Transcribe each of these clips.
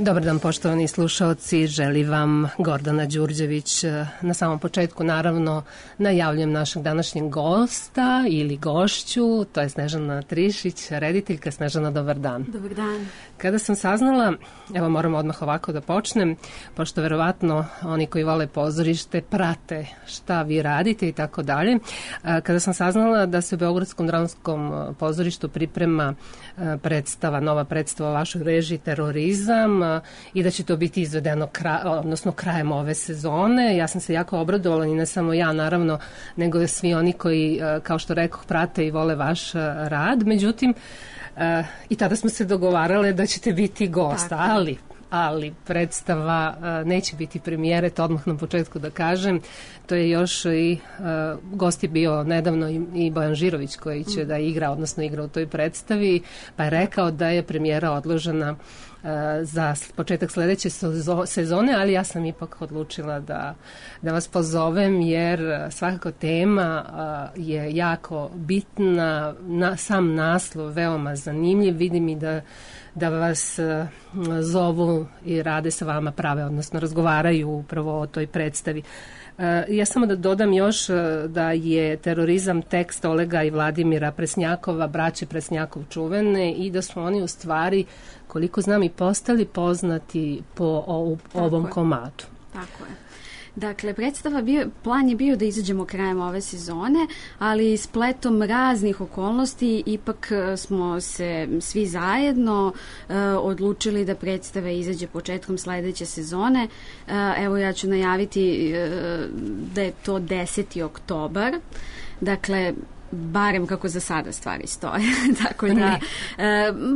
Dobar dan, poštovani slušaoci, želi vam Gordana Đurđević. Na samom početku, naravno, najavljujem našeg današnjeg gosta ili gošću, to je Snežana Trišić, rediteljka. Snežana, dobar dan. Dobar dan. Kada sam saznala, evo moram odmah ovako da počnem, pošto verovatno oni koji vole pozorište prate šta vi radite i tako dalje. Kada sam saznala da se u Beogradskom dramskom pozorištu priprema predstava, nova predstava vašoj režiji Terorizam i da će to biti izvedeno krajem ove sezone, ja sam se jako obradovala i ne samo ja naravno, nego i svi oni koji, kao što rekoh, prate i vole vaš rad. Međutim, i tada smo se dogovarale da ćete biti gost, ali predstava neće biti premijere, to odmah na početku da kažem. To je još i gost je bio nedavno i Bojan Žirović koji će da igra, odnosno igra u toj predstavi, pa je rekao da je premijera odložena za početak sledeće sezone, ali ja sam ipak odlučila da vas pozovem jer svakako tema je jako bitna, sam naslov veoma zanimljiv, vidim i da vas zovu i rade sa vama prave, odnosno razgovaraju upravo o toj predstavi. Ja samo da dodam još da je Terorizam tekst Olega i Vladimira Presnjakova, braće Presnjakov čuvene, i da su oni u stvari, koliko znam, i postali poznati po ovom komadu. Tako je. Dakle, plan je bio da izađemo krajem ove sezone, ali spletom raznih okolnosti ipak smo se svi zajedno odlučili da predstava izađe početkom sledeće sezone. Evo, ja ću najaviti da je to 10. oktobar. Dakle, barem kako za sada stvari stoje. Tako da,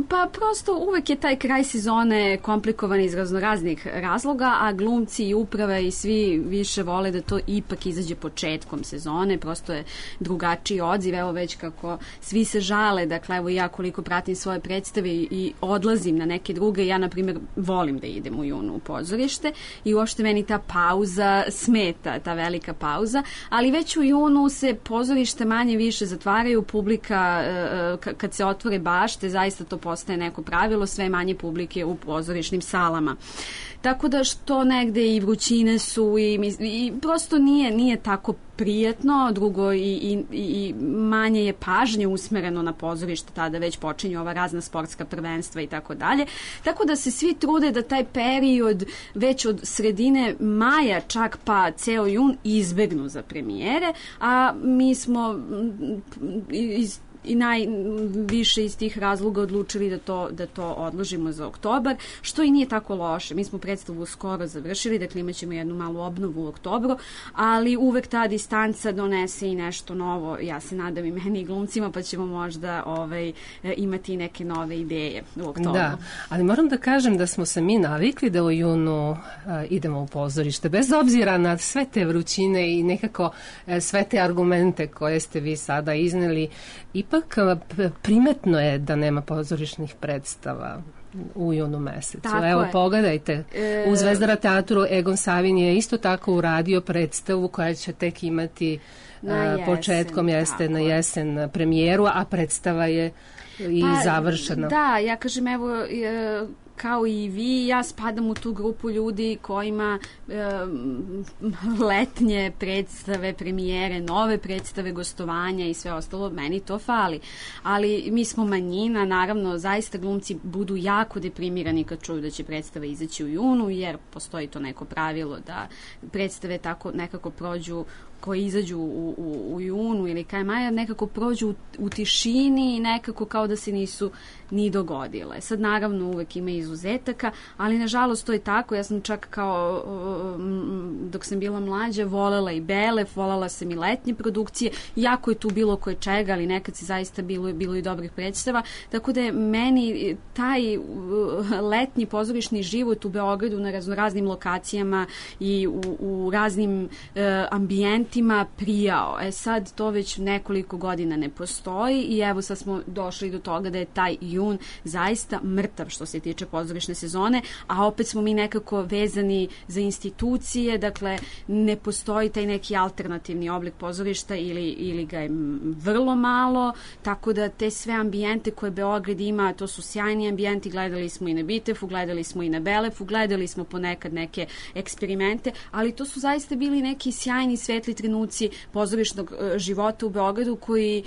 pa prosto uvek je taj kraj sezone komplikovan iz raznoraznih razloga, a glumci i uprava i svi više vole da to ipak izađe početkom sezone, prosto je drugačiji odziv, evo već kako svi se žale, dakle evo ja koliko pratim svoje predstave i odlazim na neke druge, ja na primjer volim da idem u junu u pozorište i uopšte meni ta pauza smeta, ta velika pauza, ali već u junu se pozorište manje više zatvaraju, publika kad se otvore bašte, zaista to postaje neko pravilo, sve manje publike u pozorišnim salama. Tako da što negde i vrućine su i prosto nije tako prijatno, drugo i manje je pažnje usmereno na pozorište, tada već počinju ova razna sportska prvenstva i tako dalje. Tako da se svi trude da taj period već od sredine maja čak pa ceo jun izbegnu za premijere, a mi smo i najviše iz tih razloga odlučili da to odložimo za oktobar, što i nije tako loše. Mi smo predstavu skoro završili, dakle imat ćemo jednu malu obnovu u oktobru, ali uvek ta distanca donese i nešto novo, ja se nadam i meni i glumcima, pa ćemo možda imati neke nove ideje u oktobru. Da, ali moram da kažem da smo se mi navikli da u junu idemo u pozorište, bez obzira na sve te vrućine i nekako sve te argumente koje ste vi sada izneli. Ipak primetno je da nema pozorišnih predstava u junu mesecu. Tako evo, je. Pogledajte, u Zvezdara teatru Egon Savin je isto tako uradio predstavu koja će tek imati početkom na jesen premijeru, a predstava je i završena. Da, ja kažem, evo, kao i vi, ja spadam u tu grupu ljudi kojima letnje predstave, premijere, nove predstave, gostovanja i sve ostalo, meni to fali. Ali mi smo manjina, naravno, zaista glumci budu jako deprimirani kad čuju da će predstava izaći u junu, jer postoji to neko pravilo da predstave tako nekako prođu, koji izađu u junu ili kraj maja, nekako prođu u tišini i nekako kao da se nisu ni dogodile. Sad naravno uvek ima izuzetaka, ali nažalost to je tako. Ja sam čak kao dok sam bila mlađa volela i Belef, volela sam i letnje produkcije, jako je tu bilo koje čega, ali nekad se zaista bilo i dobrih predstava, tako da je meni taj letnji pozorišni život u Beogradu na raznoraznim lokacijama i u raznim ambijentima studentima prijao. Sad to već nekoliko godina ne postoji i evo sad smo došli do toga da je taj jun zaista mrtav što se tiče pozorišne sezone, a opet smo mi nekako vezani za institucije, dakle ne postoji taj neki alternativni oblik pozorišta ili ga je vrlo malo, tako da te sve ambijente koje Beograd ima, to su sjajni ambijenti, gledali smo i na Bitefu, gledali smo i na Belefu, gledali smo ponekad neke eksperimente, ali to su zaista bili neki sjajni svetli trenuci pozorišnog života u Beogradu koji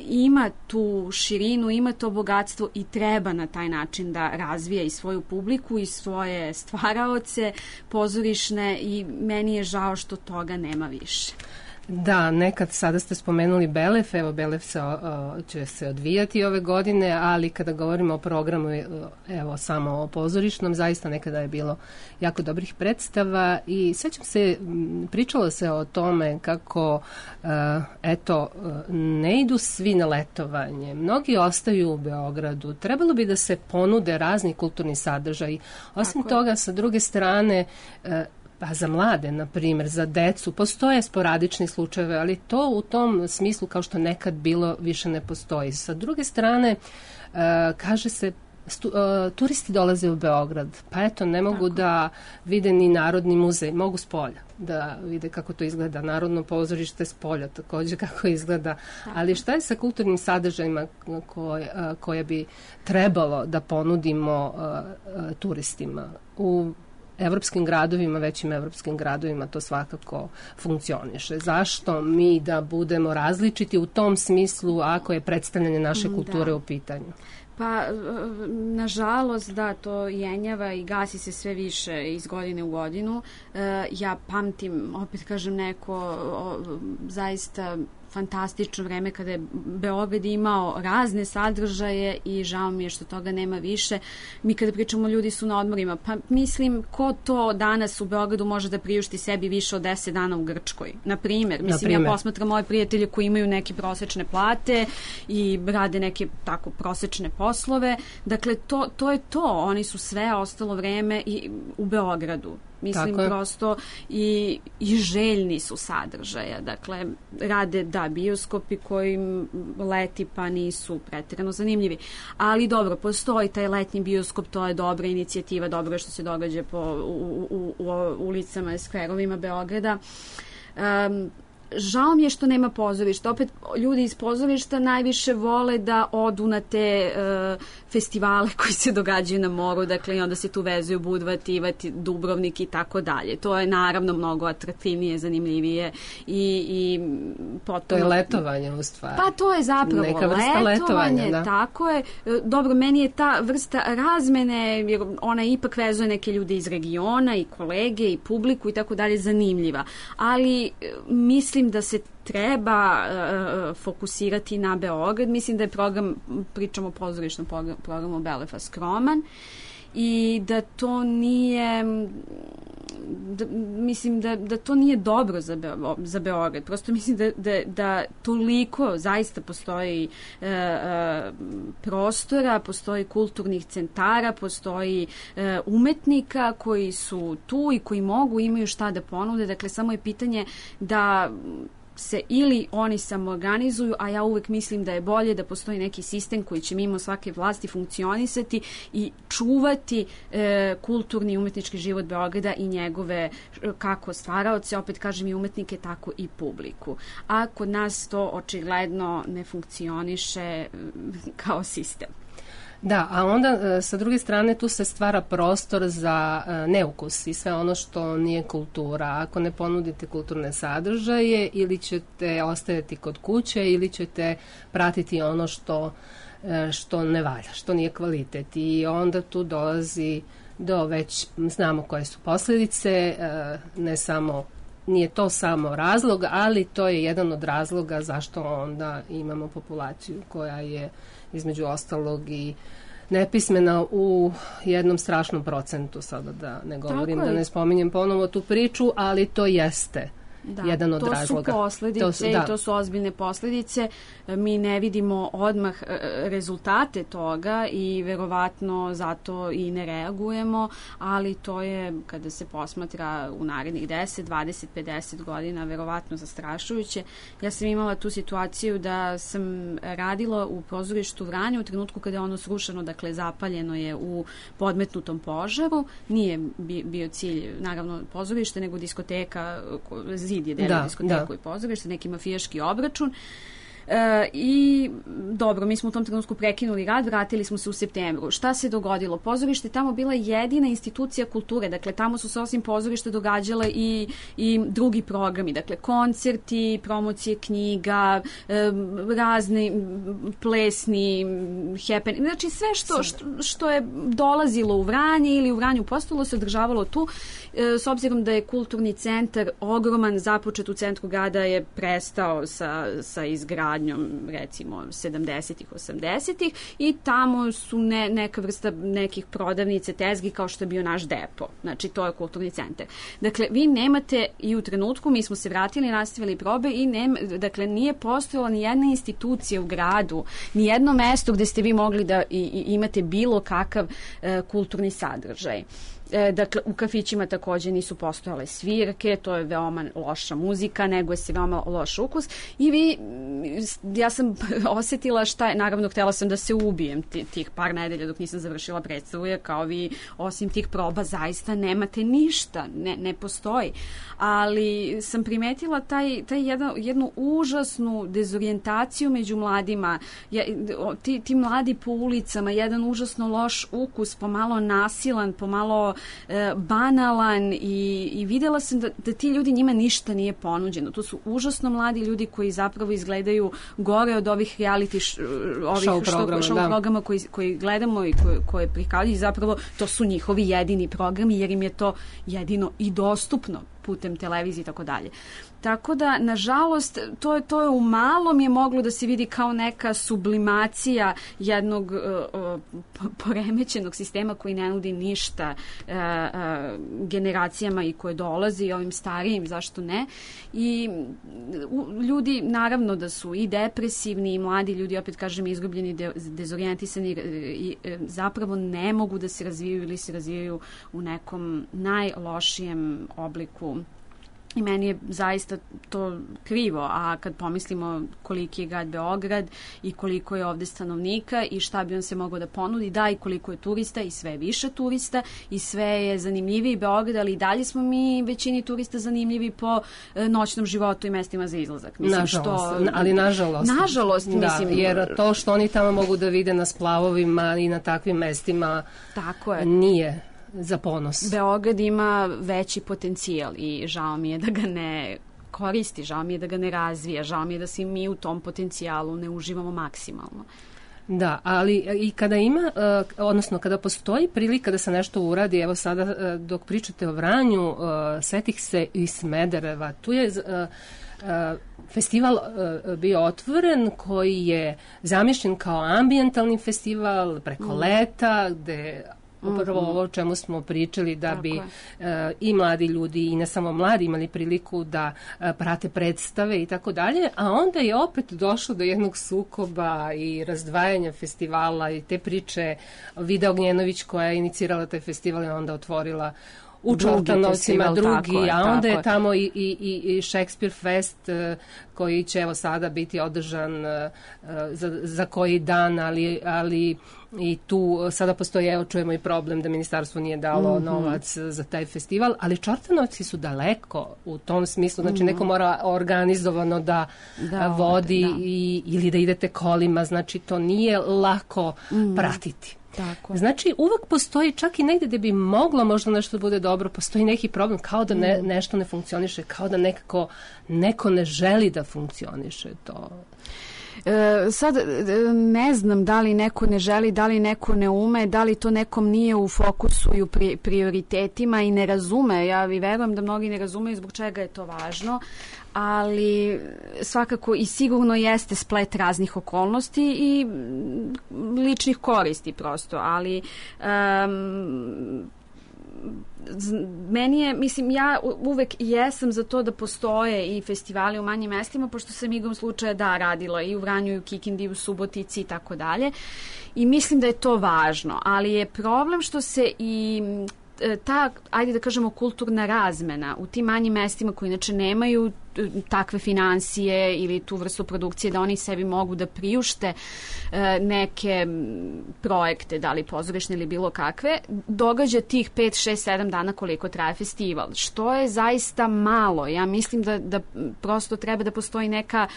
ima tu širinu, ima to bogatstvo i treba na taj način da razvija i svoju publiku i svoje stvaraoce pozorišne i meni je žao što toga nema više. Da, nekad, sada ste spomenuli Belef, evo Belef će se odvijati ove godine, ali kada govorimo o programu, evo samo o pozorišnom, zaista nekada je bilo jako dobrih predstava i sećam se, pričalo se o tome kako, ne idu svi na letovanje, mnogi ostaju u Beogradu, trebalo bi da se ponude razni kulturni sadržaji. Osim toga, sa druge strane, pa za mlade, na primjer, za decu, postoje sporadični slučajeve, ali to u tom smislu kao što nekad bilo više ne postoji. Sa druge strane, kaže se, turisti dolaze u Beograd, pa eto, ne mogu da vide ni Narodni muzej, mogu s polja da vide kako to izgleda, Narodno pozorište s polja također kako izgleda, ali šta je sa kulturnim sadržajima koje bi trebalo da ponudimo turistima? U evropskim gradovima, većim evropskim gradovima to svakako funkcioniše. Zašto mi da budemo različiti u tom smislu ako je predstavljanje naše kulture u pitanju? Pa, nažalost, da, to jenjava i gasi se sve više iz godine u godinu. Ja pamtim, opet kažem, neko zaista fantastično vreme kada je Beograd imao razne sadržaje i žao mi je što toga nema više. Mi kada pričamo, ljudi su na odmorima, pa mislim, ko to danas u Beogradu može da priušti sebi više od 10 dana u Grčkoj? Na primjer, ja posmatram moje prijatelje koji imaju neke prosečne plate i rade neke tako prosečne poslove. Dakle, to je to. Oni su sve ostalo vreme i u Beogradu. Mislim, prosto i željni su sadržaja. Dakle, rade, bioskopi kojim leti pa nisu pretjerano zanimljivi. Ali dobro, postoji taj letnji bioskop, to je dobra inicijativa, dobro je što se događa u ulicama i skverovima Beograda. Žao mi je što nema pozorišta. Opet, ljudi iz pozorišta najviše vole da odu na te festivale koji se događaju na moru, dakle, i onda se tu vezuju Budva, Tivat, Dubrovnik i tako dalje. To je naravno mnogo atraktivnije, zanimljivije i potom... To je letovanje u stvari. Pa to je zapravo neka vrsta letovanja, da. Tako je. Dobro, meni je ta vrsta razmene, jer ona ipak vezuje neke ljude iz regiona i kolege i publiku i tako dalje, zanimljiva. Ali mislim da se treba fokusirati na Beograd. Mislim da je program, pričamo o pozorišnom programu Belefa, skroman i da to nije mislim da to nije dobro za Beograd. Prosto mislim da toliko zaista postoji prostora, postoji kulturnih centara, postoji umetnika koji su tu i koji imaju šta da ponude. Dakle, samo je pitanje da se ili oni samoorganizuju, a ja uvek mislim da je bolje da postoji neki sistem koji će mimo svake vlasti funkcionisati i čuvati kulturni i umetnički život Beograda i njegove kako stvaraoce, opet kažem i umetnike, tako i publiku. A kod nas to očigledno ne funkcioniše kao sistem. Da, a onda sa druge strane tu se stvara prostor za neukus i sve ono što nije kultura. Ako ne ponudite kulturne sadržaje, ili ćete ostajati kod kuće ili ćete pratiti ono što ne valja, što nije kvalitet. I onda tu dolazi do već znamo koje su posljedice, nije to samo razlog, ali to je jedan od razloga zašto onda imamo populaciju koja je između ostalog i nepismena u jednom strašnom procentu, sada da ne govorim, da ne spominjem ponovo tu priču, ali to jeste jedan od razloga. To su posledice i to su ozbiljne posledice. Mi ne vidimo odmah rezultate toga i verovatno zato i ne reagujemo, ali to je, kada se posmatra u narednih 10, 20, 50 godina, verovatno zastrašujuće. Ja sam imala tu situaciju da sam radila u pozorištu Vranje u trenutku kada je ono srušeno, dakle zapaljeno je u podmetnutom požaru. Nije bio cilj, naravno, pozorište, nego diskoteka, zid je delio diskoteku i pozorište, neki mafijaški obračun. I dobro, mi smo u tom trenutku prekinuli rad, vratili smo se u septembru. Šta se dogodilo? Pozorište je tamo bila jedina institucija kulture, dakle tamo su se osim pozorišta događale i drugi programi, dakle koncerti, promocije knjiga, razni plesni happening, znači sve što je dolazilo u Vranje ili u Vranju postalo se održavalo tu. S obzirom da je kulturni centar ogroman, započet u centru grada, je prestao sa izgradnjom recimo 70-ih, 80-ih i tamo su neka vrsta nekih prodavnice, tezgi kao što je bio naš depo. Znači to je kulturni centar. Dakle, vi nemate i u trenutku, mi smo se vratili, nastavili probe i dakle nije postojala ni jedna institucija u gradu, ni jedno mesto gde ste vi mogli da imate bilo kakav kulturni sadržaj. Dakle, u kafićima takođe nisu postojale svirke, to je veoma loša muzika, nego se veoma loš ukus i ja sam osetila šta je, naravno htela sam da se ubijem tih par nedelja dok nisam završila predstavu, jer kao vi osim tih proba zaista nemate ništa, ne postoji, ali sam primetila jednu užasnu dezorijentaciju među mladima, ti mladi po ulicama, jedan užasno loš ukus, pomalo nasilan, pomalo banalan i videla sam da ti ljudi, njima ništa nije ponuđeno. To su užasno mladi ljudi koji zapravo izgledaju gore od ovih reality show programa koji gledamo i koje prikazuju, zapravo to su njihovi jedini programi jer im je to jedino i dostupno putem televizije i tako dalje. Tako da, nažalost, to je u malom je moglo da se vidi kao neka sublimacija jednog poremećenog sistema koji ne nudi ništa generacijama i koje dolazi i ovim starijim, zašto ne. I ljudi, naravno da su i depresivni i mladi ljudi, opet kažem, izgubljeni, dezorijentisani i zapravo ne mogu da se razvijaju ili se razvijaju u nekom najlošijem obliku. I meni je zaista to krivo, a kad pomislimo koliki je grad Beograd i koliko je ovde stanovnika i šta bi on se mogao da ponudi, da, i koliko je turista i sve više turista i sve je zanimljiviji Beograd, ali i dalje smo mi većini turista zanimljivi po noćnom životu i mestima za izlazak. Mislim, nažalost, mislim. Jer to što oni tamo mogu da vide na splavovima i na takvim mestima nije za ponos. Beograd ima veći potencijal i žao mi je da ga ne koristi, žao mi je da ga ne razvija, žao mi je da se mi u tom potencijalu ne uživamo maksimalno. Da, ali i kada ima, odnosno kada postoji prilika da se nešto uradi, evo sada dok pričate o Vranju, setih se i Smedereva, tu je festival bio otvoren koji je zamišljen kao ambijentalni festival preko leta, gde upravo ovo o čemu smo pričali, da bi i mladi ljudi i ne samo mladi imali priliku da prate predstave i tako dalje, a onda je opet došlo do jednog sukoba i razdvajanja festivala i te priče. Vida Ognjenović koja je inicirala taj festival je onda otvorila u Čortanovcima drugi, a onda je tamo i Shakespeare Fest koji će evo sada biti održan za koji dan, ali i tu sada postoji, evo čujemo i problem da ministarstvo nije dalo novac za taj festival, ali Čortanovci su daleko u tom smislu, znači neko mora organizovano da vodi ili da idete kolima, znači to nije lako pratiti. Tako. Znači, uvek postoji, čak i negde gde bi moglo možda nešto bude dobro, postoji neki problem, kao da nešto ne funkcioniše, kao da nekako neko ne želi da funkcioniše to. Sad ne znam da li neko ne želi, da li neko ne ume, da li to nekom nije u fokusu i u prioritetima i ne razume. Ja verujem da mnogi ne razumeju zbog čega je to važno, ali svakako i sigurno jeste splet raznih okolnosti i ličnih koristi prosto, ali meni je, mislim, ja uvek jesam za to da postoje i festivali u manjim mestima, pošto sam igrom slučaja radila i u Vranju, i u Kikindi, i u Subotici i tako dalje. I mislim da je to važno, ali je problem što se i ta, ajde da kažemo, kulturna razmena u tim manjim mestima koji inače nemaju takve financije ili tu vrstu produkcije da oni sebi mogu da priušte neke projekte, da li pozorišne ili bilo kakve, događa tih 5, 6, 7 dana koliko traje festival, što je zaista malo. Ja mislim da prosto treba da postoji neka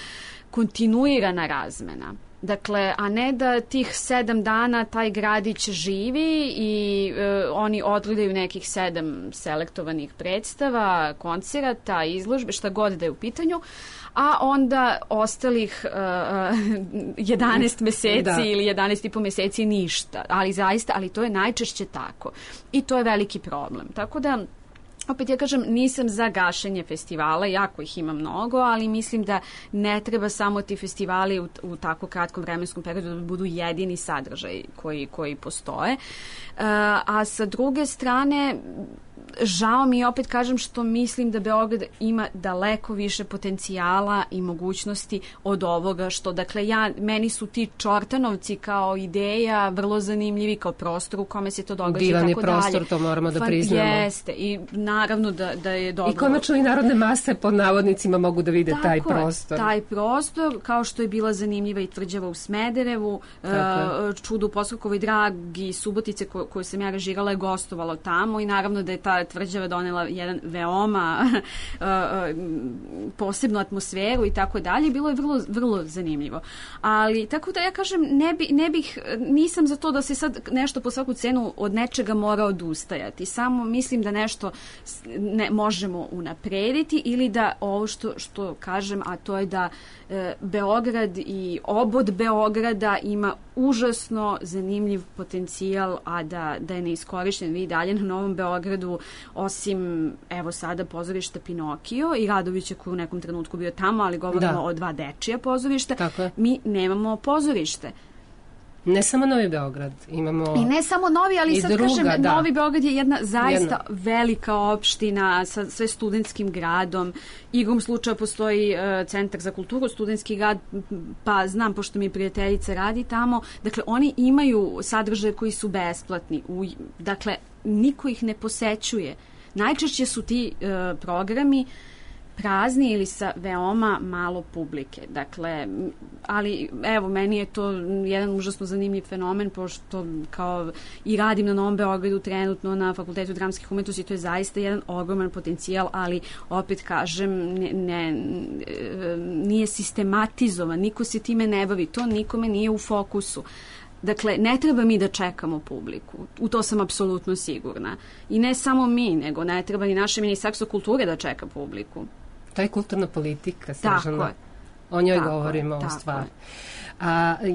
kontinuirana razmena. Dakle, a ne da tih 7 dana taj gradić živi i oni odgledaju nekih 7 selektovanih predstava, koncerata, izložbe, šta god da je u pitanju, a onda ostalih 11 meseci ili 11,5 meseci ništa. Ali zaista, ali to je najčešće tako. I to je veliki problem. Tako da, opet ja kažem, nisam za gašenje festivala, jako ih ima mnogo, ali mislim da ne treba samo ti festivali u tako kratkom vremenskom periodu da budu jedini sadržaj koji postoje. A sa druge strane, žao mi, opet kažem, što mislim da Beograd ima daleko više potencijala i mogućnosti od ovoga što, dakle, meni su ti Čortanovci kao ideja vrlo zanimljivi, kao prostor u kome se to događa i tako dalje. Divan je prostor, to moramo da priznamo. Jeste, i naravno da je dobro. I konačno i narodne mase pod navodnicima mogu da vide taj prostor. Taj prostor, kao što je bila zanimljiva i Tvrđava u Smederevu, Čudo u Poskokovoj Dragi, Subotice koju sam ja režirala je gostovalo tamo i naravno da je ta Tvrđava donela jedan veoma posebnu atmosferu i tako dalje. Bilo je vrlo, vrlo zanimljivo. Ali, tako da ja kažem, nisam za to da se sad nešto po svaku cenu od nečega mora odustajati. Samo mislim da nešto možemo unaprediti ili da ovo što kažem, a to je da Beograd i obod Beograda ima užasno zanimljiv potencijal, a da je neiskorišten. Vi dalje na Novom Beogradu, osim evo sada pozorišta Pinokio i Radovića koji u nekom trenutku bio tamo, ali govorimo o 2 dečija pozorišta, mi nemamo pozorište. Ne samo Novi Beograd, imamo i ne samo Novi, ali sad kažem, Novi Beograd je jedna zaista velika opština sa sve studentskim gradom. Igrom slučaja postoji Centar za kulturu, studentski grad, pa znam, pošto mi prijateljica radi tamo, dakle, oni imaju sadržaje koji su besplatni. Dakle, niko ih ne posećuje. Najčešće su ti programi prazni ili sa veoma malo publike. Dakle, ali evo, meni je to jedan užasno zanimljiv fenomen, pošto kao i radim na Novom Beogradu trenutno na Fakultetu dramskih umetnosti, to je zaista jedan ogroman potencijal, ali opet kažem, nije sistematizovan, niko se time ne bavi, to nikome nije u fokusu. Dakle, ne treba mi da čekamo publiku. U to sam apsolutno sigurna. I ne samo mi, nego ne treba ni naše Ministarstvo kulture da čeka publiku. To je kulturna politika, Snežana. O njoj govorimo u stvari.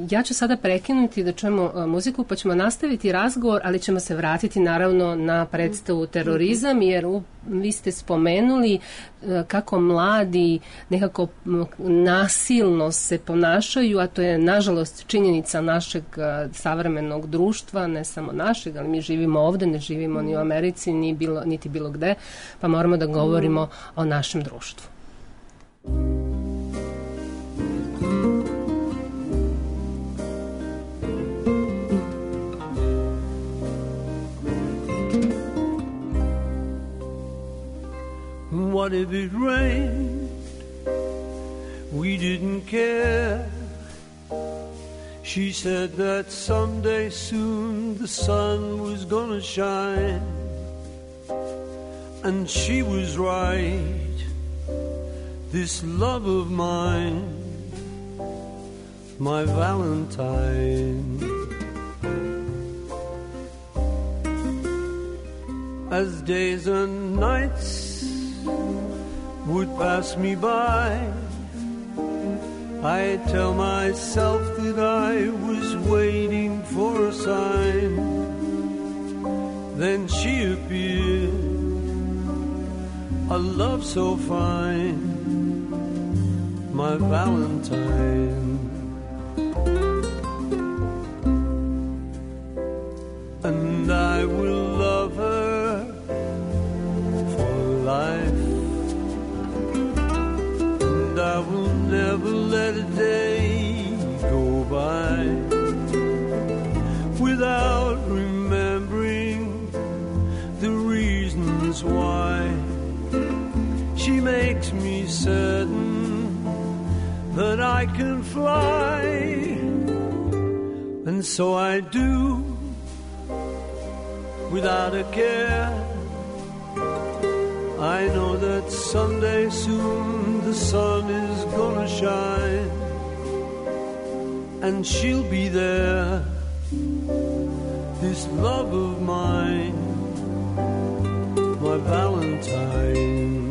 Ja ću sada prekinuti da čujemo muziku, pa ćemo nastaviti razgovor, ali ćemo se vratiti naravno na predstavu Terorizam, jer vi ste spomenuli kako mladi nekako nasilno se ponašaju, a to je nažalost činjenica našeg savremenog društva, ne samo našeg, ali mi živimo ovde, ne živimo ni u Americi, niti bilo gde, pa moramo da govorimo o našem društvu. What if it rained? We didn't care. She said that someday soon the sun was gonna shine. And she was right. This love of mine, my Valentine. As days and nights would pass me by, I tell myself that I was waiting for a sign. Then she appeared, a love so fine, my Valentine. And I will love her makes me certain that I can fly, and so I do without a care. I know that someday soon the sun is gonna shine, and she'll be there, this love of mine, my Valentine.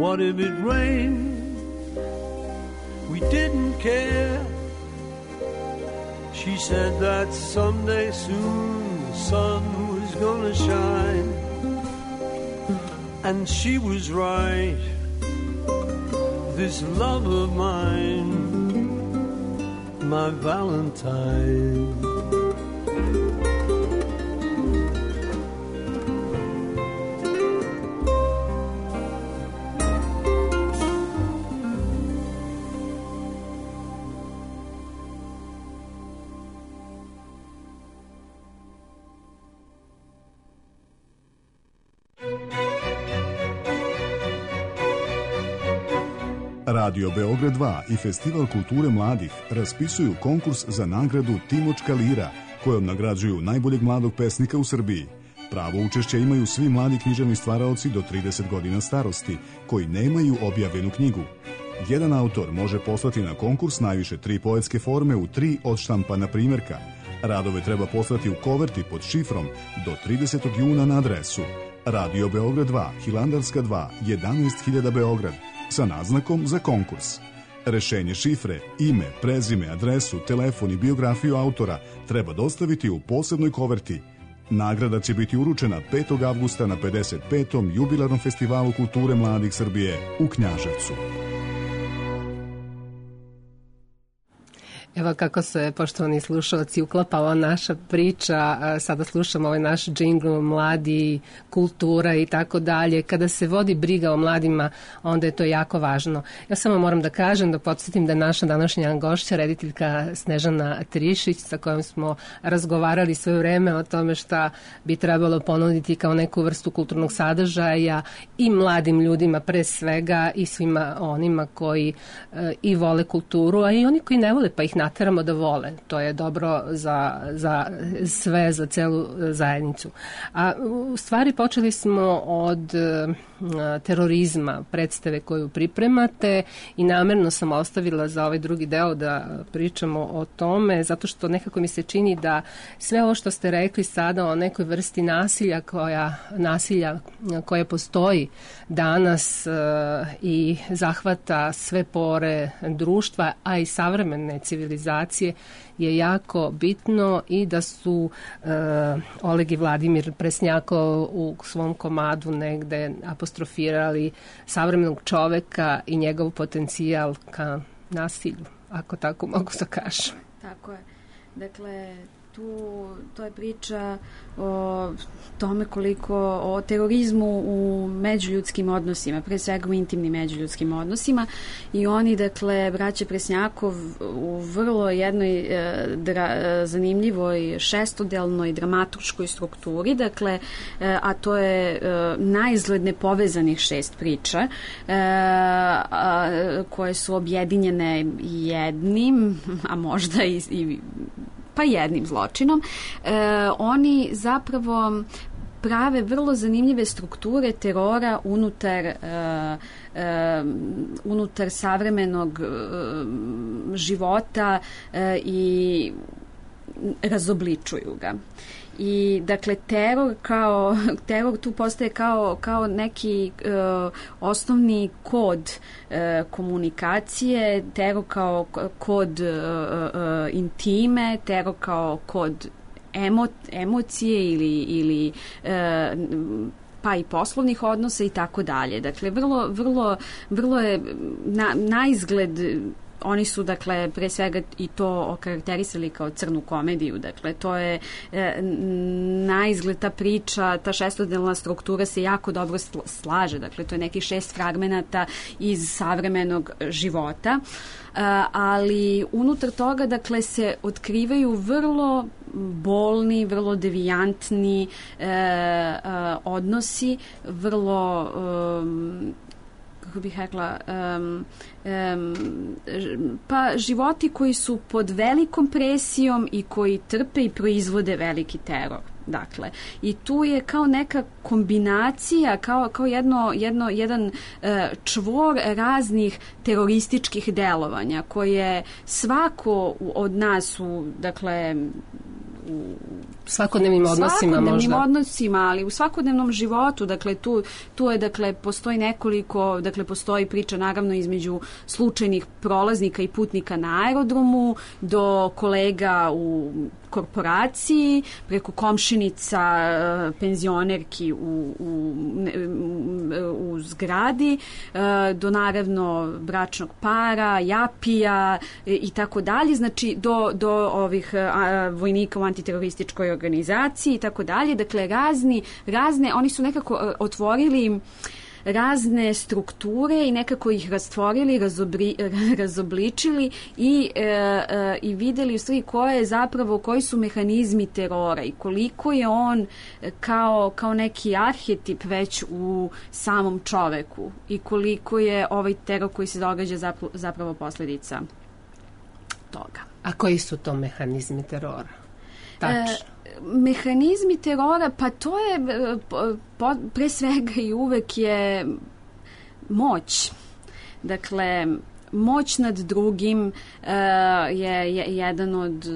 What if it rained? We didn't care. She said that someday soon the sun was gonna shine, and she was right. This love of mine, my Valentine. Radio Beograd 2 i Festival kulture mladih raspisuju konkurs za nagradu Timočka lira, kojom nagrađuju najboljeg mladog pesnika u Srbiji. Pravo učešća imaju svi mladi književni stvaraoci do 30 godina starosti, koji nemaju objavljenu knjigu. Jedan autor može poslati na konkurs najviše 3 poetske forme u 3 odštampana primjerka. Radove treba poslati u koverti pod šifrom do 30. juna na adresu Radio Beograd 2, Hilandarska 2, 11.000 Beograd, sa naznakom za konkurs. Rešenje šifre, ime, prezime, adresu, telefon i biografiju autora treba dostaviti u posebnoj koverti. Nagrada će biti uručena 5. avgusta na 55. jubilarnom festivalu kulture mladih Srbije u Knjaževcu. Evo kako se, poštovani slušalci, uklapala naša priča, sada slušamo ovaj naš džingl, mladi, kultura i tako dalje. Kada se vodi briga o mladima, onda je to jako važno. Ja samo moram da kažem, da podsjetim da naša današnja gošća, rediteljka Snežana Trišić, sa kojom smo razgovarali sve vreme o tome šta bi trebalo ponuditi kao neku vrstu kulturnog sadržaja i mladim ljudima pre svega i svima onima koji i vole kulturu, a i oni koji ne vole pa ih nateramo da vole. To je dobro za sve, za celu zajednicu. A u stvari počeli smo od terorizma, predstave koju pripremate i namerno sam ostavila za ovaj drugi deo da pričamo o tome, zato što nekako mi se čini da sve ovo što ste rekli sada o nekoj vrsti nasilja koja postoji danas i zahvata sve pore društva, a i savremene civilizacije, je jako bitno i da su Oleg i Vladimir Presnjakov u svom komadu negde apostrofirali savremenog čoveka i njegov potencijal ka nasilju, ako tako mogu da kažem. Tako je. Dakle, to je priča o tome koliko, o terorizmu u međuljudskim odnosima, pre svega u intimnim međuljudskim odnosima, i oni, dakle, braće Presnjakov u vrlo jednoj zanimljivoj šestodelnoj dramaturškoj strukturi, dakle, a to je naizgled nepovezanih 6 priča koje su objedinjene jednim, a možda i jednim zločinom, oni zapravo prave vrlo zanimljive strukture terora unutar savremenog života i razobličuju ga. I dakle teror tu postaje kao neki osnovni kod komunikacije, teror kao kod intime, teror kao kod emocije ili pa i poslovnih odnosa i tako dalje. Dakle, vrlo je na izgled. Oni su, dakle, pre svega i to okarakterisali kao crnu komediju. Dakle, to je na izgled ta priča, ta šestodelna struktura se jako dobro slaže. Dakle, to je nekih 6 fragmenata iz savremenog života. Ali unutar toga, dakle, se otkrivaju vrlo bolni, vrlo devijantni odnosi, vrlo kako bih rekla, pa životi koji su pod velikom presijom i koji trpe i proizvode veliki teror. Dakle, i tu je kao neka kombinacija, kao jedan čvor raznih terorističkih delovanja koje svako od nas dakle, u svakodnevnim odnosima, ali u svakodnevnom životu, dakle tu je, dakle, postoji nekoliko, dakle postoji priča naravno između slučajnih prolaznika i putnika na aerodromu do kolega u korporaciji, preko komšinica, penzionerki u zgradi, do naravno bračnog para, japija i tako dalje, znači do ovih vojnika u antiterorističkoj organizaciji i tako dalje. Dakle, razne, oni su nekako otvorili razne strukture i nekako ih rastvorili, razobličili i videli u stvari koji su mehanizmi terora i koliko je on kao neki arhetip već u samom čoveku i koliko je ovaj teror koji se događa zapravo posljedica toga. A koji su to mehanizmi terora? Tačno. Mehanizmi terora, pa to je pre svega i uvek je moć. Dakle, moć nad drugim je jedan od,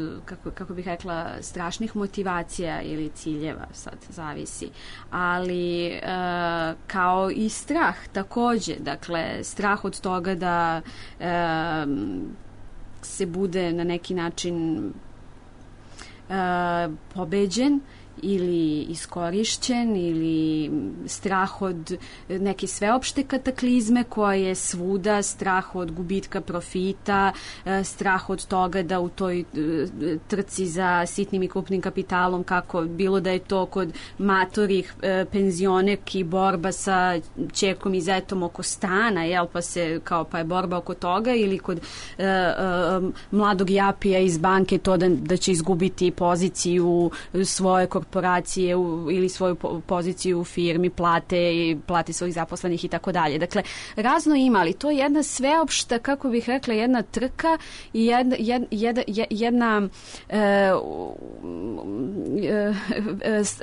kako bih rekla, strašnih motivacija ili ciljeva, sad zavisi. Ali kao i strah takođe, dakle, strah od toga da se bude na neki način pobeđen ili iskorišćen ili strah od neke sveopšte kataklizme koja je svuda, strah od gubitka profita, strah od toga da u toj trci za sitnim i krupnim kapitalom, kako bilo da je to kod matorih penzionerki borba sa ćerkom i zetom oko stana, pa je borba oko toga, ili kod mladog japija iz banke to da će izgubiti poziciju svoje korporacije ili svoju poziciju u firmi, plate svojih zaposlenih i tako dalje. Dakle, razno ima, ali to je jedna sveopšta, kako bih rekla, jedna trka i jedna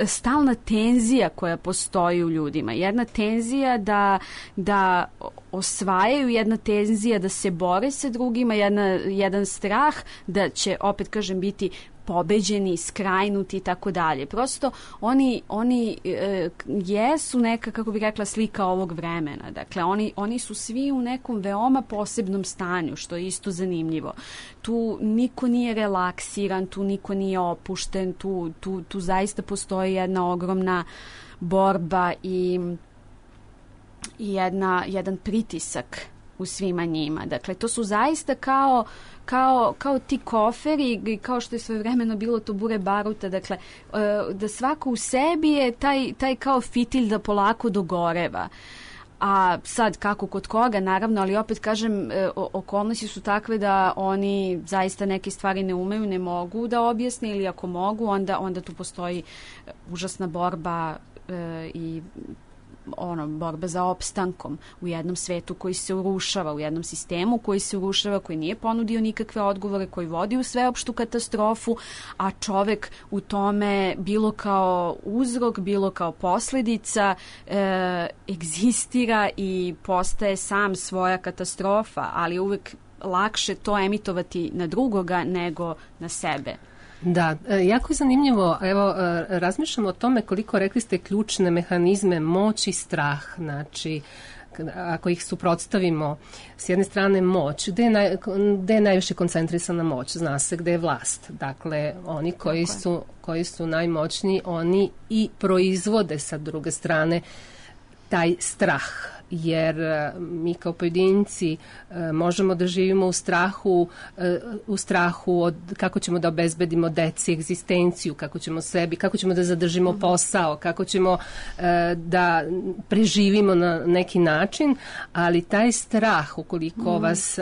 stalna tenzija koja postoji u ljudima. Jedna tenzija da osvajaju, jedna tenzija da se bore sa drugima, jedan strah da će, opet kažem, biti pobeđeni, skrajnuti i tako dalje. Prosto oni jesu neka, kako bih rekla, slika ovog vremena. Dakle, oni su svi u nekom veoma posebnom stanju, što je isto zanimljivo. Tu niko nije relaksiran, tu niko nije opušten, tu zaista postoji jedna ogromna borba i jedan pritisak u svima njima. Dakle, to su zaista kao ti koferi, kao što je svojevremeno bilo to bure baruta, dakle, da svako u sebi je taj kao fitilj da polako dogoreva. A sad, kako kod koga, naravno, ali opet kažem, okolnosti su takve da oni zaista neke stvari ne umeju, ne mogu da objasne, ili ako mogu, onda tu postoji užasna borba i borba za opstankom u jednom svetu koji se urušava, u jednom sistemu koji se urušava, koji nije ponudio nikakve odgovore, koji vodi u sveopštu katastrofu, a čovek u tome bilo kao uzrok, bilo kao posljedica egzistira i postaje sam svoja katastrofa, ali uvek lakše to emitovati na drugoga nego na sebe. Da, jako je zanimljivo. Evo, razmišljamo o tome koliko, rekli ste, ključne mehanizme, moć i strah. Znači, ako ih suprotstavimo, s jedne strane moć, gde je najviše koncentrisana moć? Zna se gde je vlast. Dakle, oni koji su najmoćniji, oni i proizvode sa druge strane taj strah, jer mi kao pojedinci možemo da živimo u strahu od kako ćemo da obezbedimo deci egzistenciju, kako ćemo da zadržimo posao, kako ćemo da preživimo na neki način, ali taj strah, ukoliko vas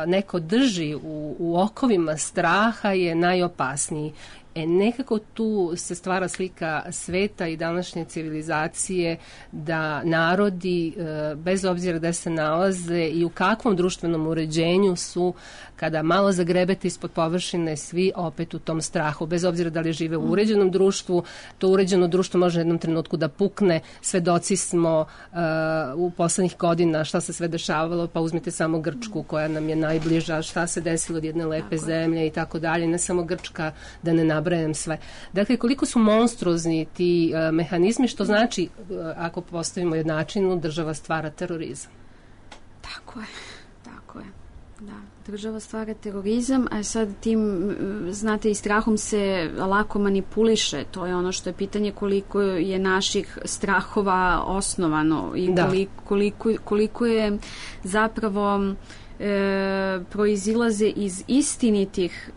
neko drži u okovima straha, je najopasniji. Nekako tu se stvara slika sveta i današnje civilizacije da narodi, bez obzira gde se nalaze i u kakvom društvenom uređenju su, kada malo zagrebete ispod površine, svi opet u tom strahu. Bez obzira da li žive u uređenom društvu, to uređeno društvo može u jednom trenutku da pukne. Svedoci smo u poslednjih godina šta se sve dešavalo, pa uzmite samo Grčku koja nam je najbliža, šta se desilo od jedne lepe zemlje i tako dalje. Ne samo Grčka, da ne nabrajam sve. Dakle, koliko su monstruozni ti mehanizmi, što znači, ako postavimo jednačinu, država stvara terorizam. Tako je. Da, država stvara terorizam, a sad tim, znate, i strahom se lako manipuliše. To je ono što je pitanje, koliko je naših strahova osnovano i koliko je zapravo proizilaze iz istinitih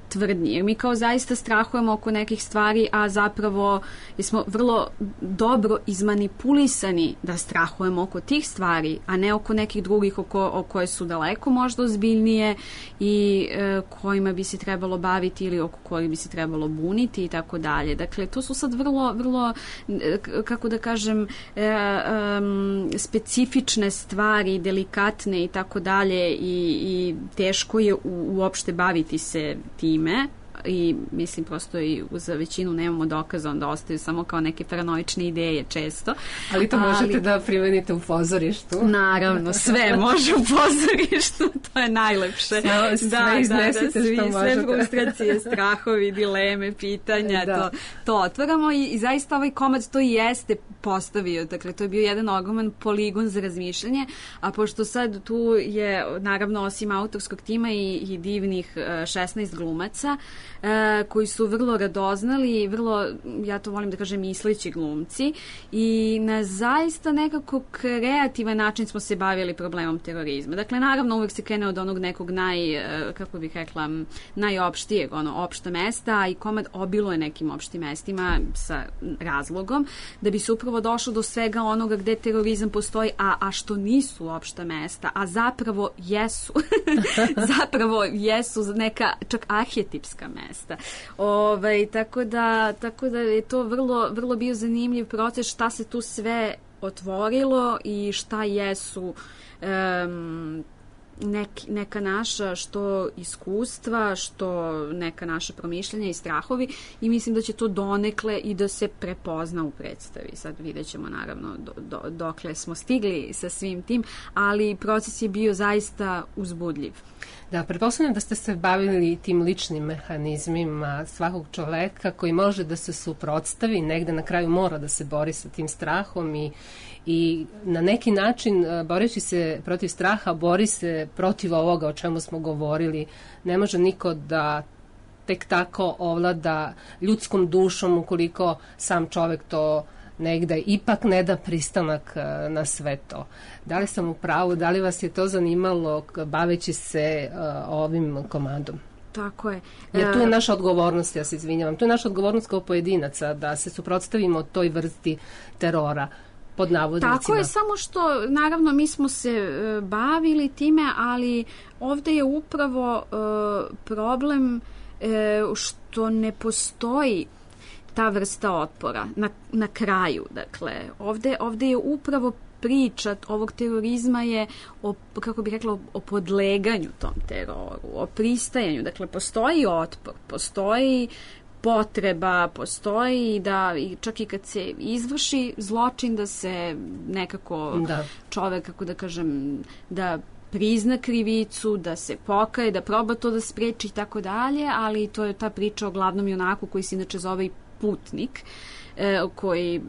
tvrdnji. Jer mi kao zaista strahujemo oko nekih stvari, a zapravo smo vrlo dobro izmanipulisani da strahujemo oko tih stvari, a ne oko nekih drugih o koje su daleko možda ozbiljnije i kojima bi se trebalo baviti ili oko kojih bi se trebalo buniti i tako dalje. Dakle, to su sad vrlo, kako da kažem, specifične stvari, delikatne i tako dalje i teško je uopšte baviti se tim i mislim prosto i za većinu nemamo dokaza, onda ostaju samo kao neke paranoične ideje često. Ali to možete da primenite u pozorištu. Naravno, sve može u pozorištu, to je najlepše. Sve iznesite što možete. Sve frustracije, strahovi, dileme, pitanja, to otvaramo i zaista ovaj komad to i jeste postavio. Dakle, to je bio jedan ogroman poligon za razmišljanje, a pošto sad tu je, naravno, osim autorskog tima i divnih 16 glumaca, koji su vrlo radoznali i vrlo, ja to volim da kažem, misleći glumci i na zaista nekako kreativan način smo se bavili problemom terorizma. Dakle, naravno, uvek se krene od onog nekog kako bih rekla, najopštijeg, opšta mesta, a i komad obiluje nekim opštim mestima sa razlogom, da bi se upravo došlo do svega onoga gde terorizam postoji, a što nisu opšta mesta, a zapravo jesu. Zapravo jesu neka čak arhetipska mesta. Tako da je to vrlo bio zanimljiv proces šta se tu sve otvorilo i šta jesu neka naša što iskustva, što neka naša promišljanja i strahovi i mislim da će to donekle i da se prepozna u predstavi. Sad vidjet ćemo naravno dokle smo stigli sa svim tim, ali proces je bio zaista uzbudljiv. Da, pretpostavljam da ste se bavili tim ličnim mehanizmima svakog čoveka koji može da se suprotstavi, negde na kraju mora da se bori sa tim strahom i na neki način, boreći se protiv straha, bori se protiv ovoga o čemu smo govorili. Ne može niko da tek tako ovlada ljudskom dušom ukoliko sam čovek to negde ipak ne da pristanak na sve to. Da li sam u pravu, da li vas je to zanimalo baveći se ovim komadom? Tako je. Jer tu je naša odgovornost, ja se izvinjavam, tu je naša odgovornost kao pojedinaca da se suprotstavimo toj vrsti terora. Pod navodnicima. Tako je, samo što naravno mi smo se bavili time, ali ovde je upravo problem što ne postoji ta vrsta otpora na kraju. Dakle, ovde je upravo priča ovog terorizma je kako bih rekla, o podleganju tom teroru, o pristajanju. Dakle, postoji otpor, postoji potreba, postoji da čak i kad se izvrši zločin da se nekako čovek, kako da kažem, da prizna krivicu, da se pokaje, da proba to da spreči i tako dalje, ali to je ta priča o glavnom junaku koji se inače zove i putnik. koji...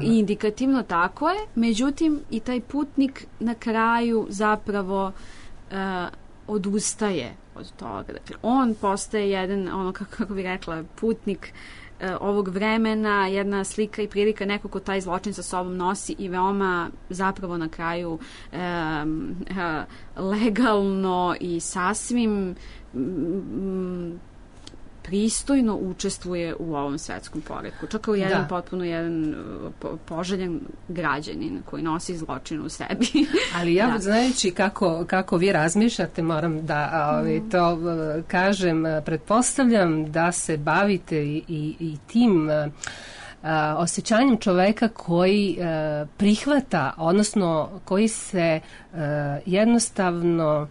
Indikativno, tako je. Međutim, i taj putnik na kraju zapravo odustaje od toga. Dakle, on postaje jedan, ono kako bih rekla, putnik ovog vremena, jedna slika i prilika neko ko taj zločin sa sobom nosi i veoma zapravo na kraju legalno i sasvim pristojno učestvuje u ovom svetskom poretku. Čak kao jedan potpuno jedan poželjan građanin koji nosi zločin u sebi. Ali ja, znajući kako vi razmišljate, moram da to kažem, pretpostavljam da se bavite i tim osjećanjem čoveka koji prihvata, odnosno koji se jednostavno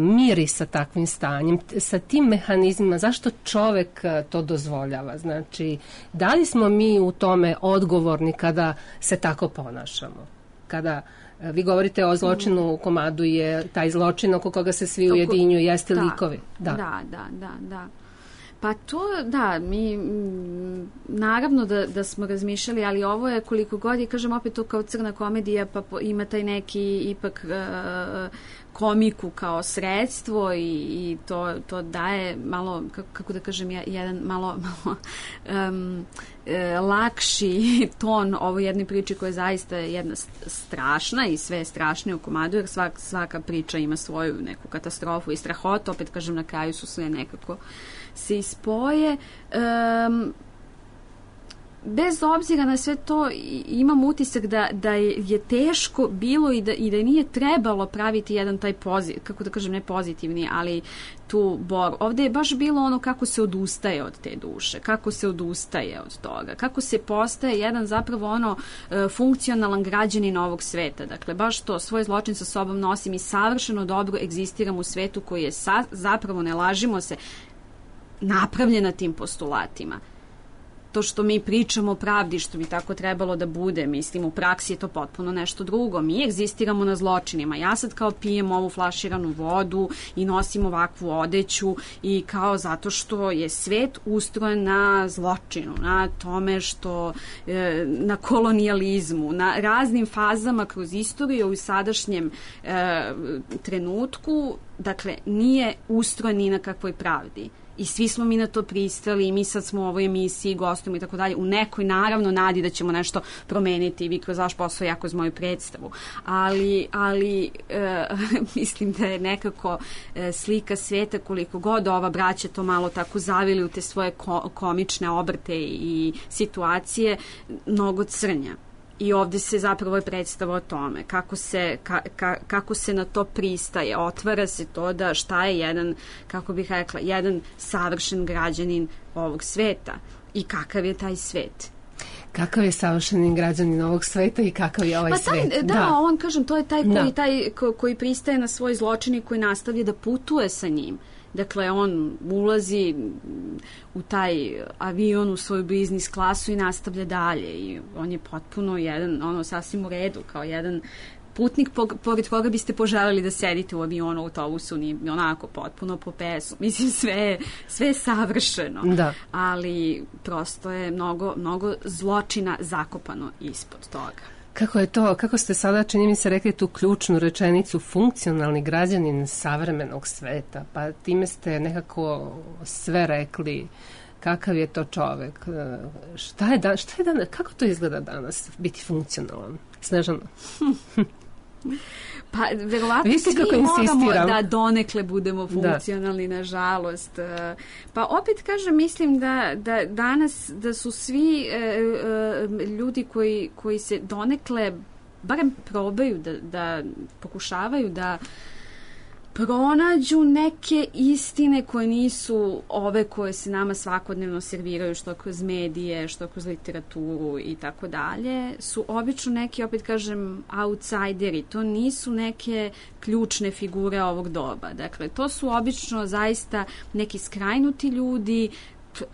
miri sa takvim stanjem, sa tim mehanizmima. Zašto čovek to dozvoljava? Znači, da li smo mi u tome odgovorni kada se tako ponašamo? Kada vi govorite o zločinu u komadu, je taj zločin oko koga se svi ujedinjuju, jeste likovi. Da. Pa to, da, mi naravno da smo razmišljali, ali ovo je koliko god je, kažem opet to kao crna komedija, pa ima taj neki ipak komiku kao sredstvo i to daje malo, kako da kažem, jedan malo lakši ton ovo jednoj priči koja je zaista jedna strašna i sve je strašnije u komadu, jer svaka priča ima svoju neku katastrofu i strahotu, opet kažem, na kraju su sve nekako se ispoje. Bez obzira na sve to, imam utisak da je teško bilo i da nije trebalo praviti jedan taj kako da kažem, ne pozitivni, ali tu bor. Ovde je baš bilo ono kako se odustaje od te duše, kako se odustaje od toga, kako se postaje jedan zapravo ono funkcionalan građanin ovog sveta. Dakle, baš to, svoj zločin sa sobom nosim i savršeno dobro egzistiram u svetu koji je zapravo, ne lažimo se, napravljena tim postulatima. To što mi pričamo o pravdi, što bi tako trebalo da bude, mislim, u praksi je to potpuno nešto drugo. Mi egzistiramo na zločinima. Ja sad kao pijem ovu flaširanu vodu i nosim ovakvu odeću i kao zato što je svet ustrojen na zločinu, na tome što, na kolonijalizmu, na raznim fazama kroz istoriju u sadašnjem trenutku, dakle, nije ustrojen ni na kakvoj pravdi. I svi smo mi na to pristali i mi sad smo u ovoj emisiji, gostujemo i tako dalje, u nekoj naravno nadi da ćemo nešto promeniti, vi kroz vaš posao, ja kroz moju predstavu. Ali mislim da je nekako slika sveta, koliko god ova braća to malo tako zavili u te svoje komične obrte i situacije, mnogo crnja. I ovde se zapravo je predstava o tome kako se na to pristaje, otvara se to da šta je jedan, kako bih rekla, jedan savršen građanin ovog sveta i kakav je taj svet. Kakav je savršeni građanin ovog sveta i kakav je ovaj svet? Da, on, kažem, to je taj koji pristaje na svoj zločin i koji nastavlja da putuje sa njim. Dakle, on ulazi u taj avion, u svoju biznis klasu i nastavlja dalje i on je potpuno jedan, ono, sasvim u redu, kao jedan putnik pored koga biste poželjeli da sedite u avionu, u autobusu, nije onako potpuno po pesu. Mislim, sve je savršeno. Da. Ali prosto je mnogo zločina zakopano ispod toga. Kako je to, kako ste sada, čini mi se, rekli tu ključnu rečenicu, funkcionalni građanin savremenog sveta, pa time ste nekako sve rekli, kakav je to čovek, šta je danas, kako to izgleda danas, biti funkcionalan? Snežana? Pa, verovatno svi moramo da donekle budemo funkcionalni, nažalost. Pa, opet kažem, mislim da danas, da su svi ljudi koji se donekle, barem probaju da pokušavaju da pronađu neke istine koje nisu ove koje se nama svakodnevno serviraju, što kroz medije, što kroz literaturu i tako dalje, su obično neki, opet kažem, outsideri. To nisu neke ključne figure ovog doba. Dakle, to su obično zaista neki skrajnuti ljudi,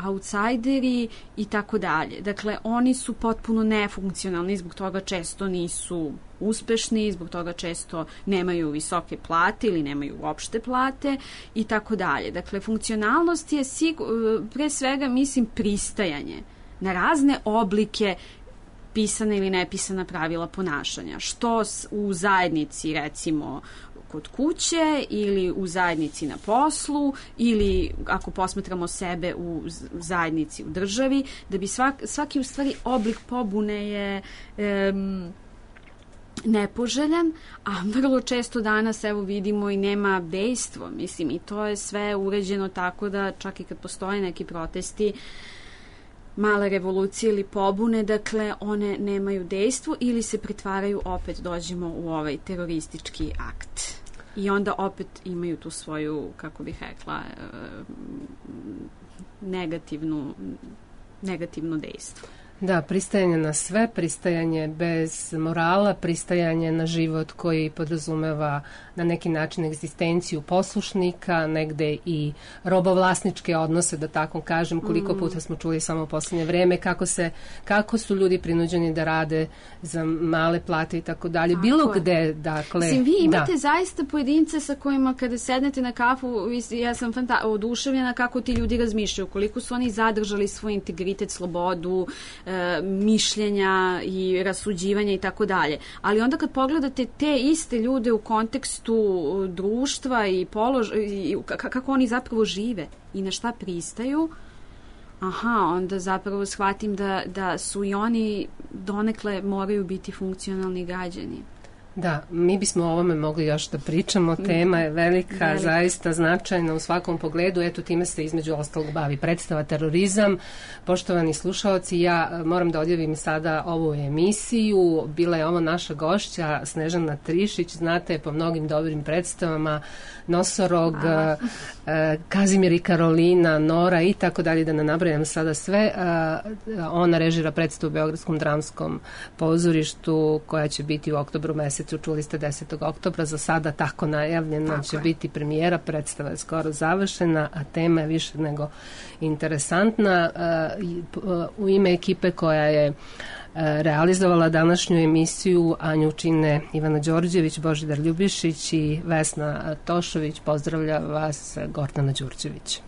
outsideri i tako dalje. Dakle, oni su potpuno nefunkcionalni, zbog toga često nisu uspešni, zbog toga često nemaju visoke plate ili nemaju uopšte plate i tako dalje. Dakle, funkcionalnost je pre svega, mislim, pristajanje. na razne oblike pisana ili nepisana pravila ponašanja. Što u zajednici, recimo, kod kuće ili u zajednici na poslu ili ako posmatramo sebe u zajednici u državi, da bi svaki u stvari oblik pobune je nepoželjan, a vrlo često danas evo vidimo i nema dejstvo, mislim, i to je sve uređeno tako da čak i kad postoje neki protesti, male revolucije ili pobune, dakle one nemaju dejstvo ili se pretvaraju, opet dođemo u ovaj teroristički akt. I onda opet imaju tu svoju, kako bih rekla, negativno dejstvo. Da, pristajanje na sve, pristajanje bez morala, pristajanje na život koji podrazumeva na neki način egzistenciju poslušnika, negde i robovlasničke odnose, da tako kažem, koliko puta smo čuli samo u poslednje vreme, kako su ljudi prinuđeni da rade za male plate i tako dalje. Bilo gde, dakle... Mislim, vi imate zaista pojedince sa kojima kada sednete na kafu, ja sam oduševljena kako ti ljudi razmišljaju, koliko su oni zadržali svoj integritet, slobodu, mišljenja i rasuđivanja i tako dalje. Ali onda kad pogledate te iste ljude u kontekstu društva i kako oni zapravo žive i na šta pristaju, onda zapravo shvatim da su i oni donekle moraju biti funkcionalni građani. Da, mi bismo o ovome mogli još da pričamo, tema je velika, zaista značajna u svakom pogledu, eto time se između ostalog bavi predstava Terorizam. Poštovani slušaoci, ja moram da odjavim sada ovu emisiju, bila je ovo naša gošća Snežana Trišić, znate po mnogim dobrim predstavama, Nosorog, Kazimir i Karolina, Nora i tako dalje, da ne nabrajam sada sve. Ona režira predstavu u Beogradskom dramskom pozorištu koja će biti u oktobru mesecu, čuli ste 10. oktobra, za sada tako najavljena će biti premijera, predstava je skoro završena, a tema je više nego interesantna. U ime ekipe koja je realizovala današnju emisiju Anju čine Ivana Đorđević, Božidar Ljubišić i Vesna Tošović. Pozdravlja vas Gordana Đurđević.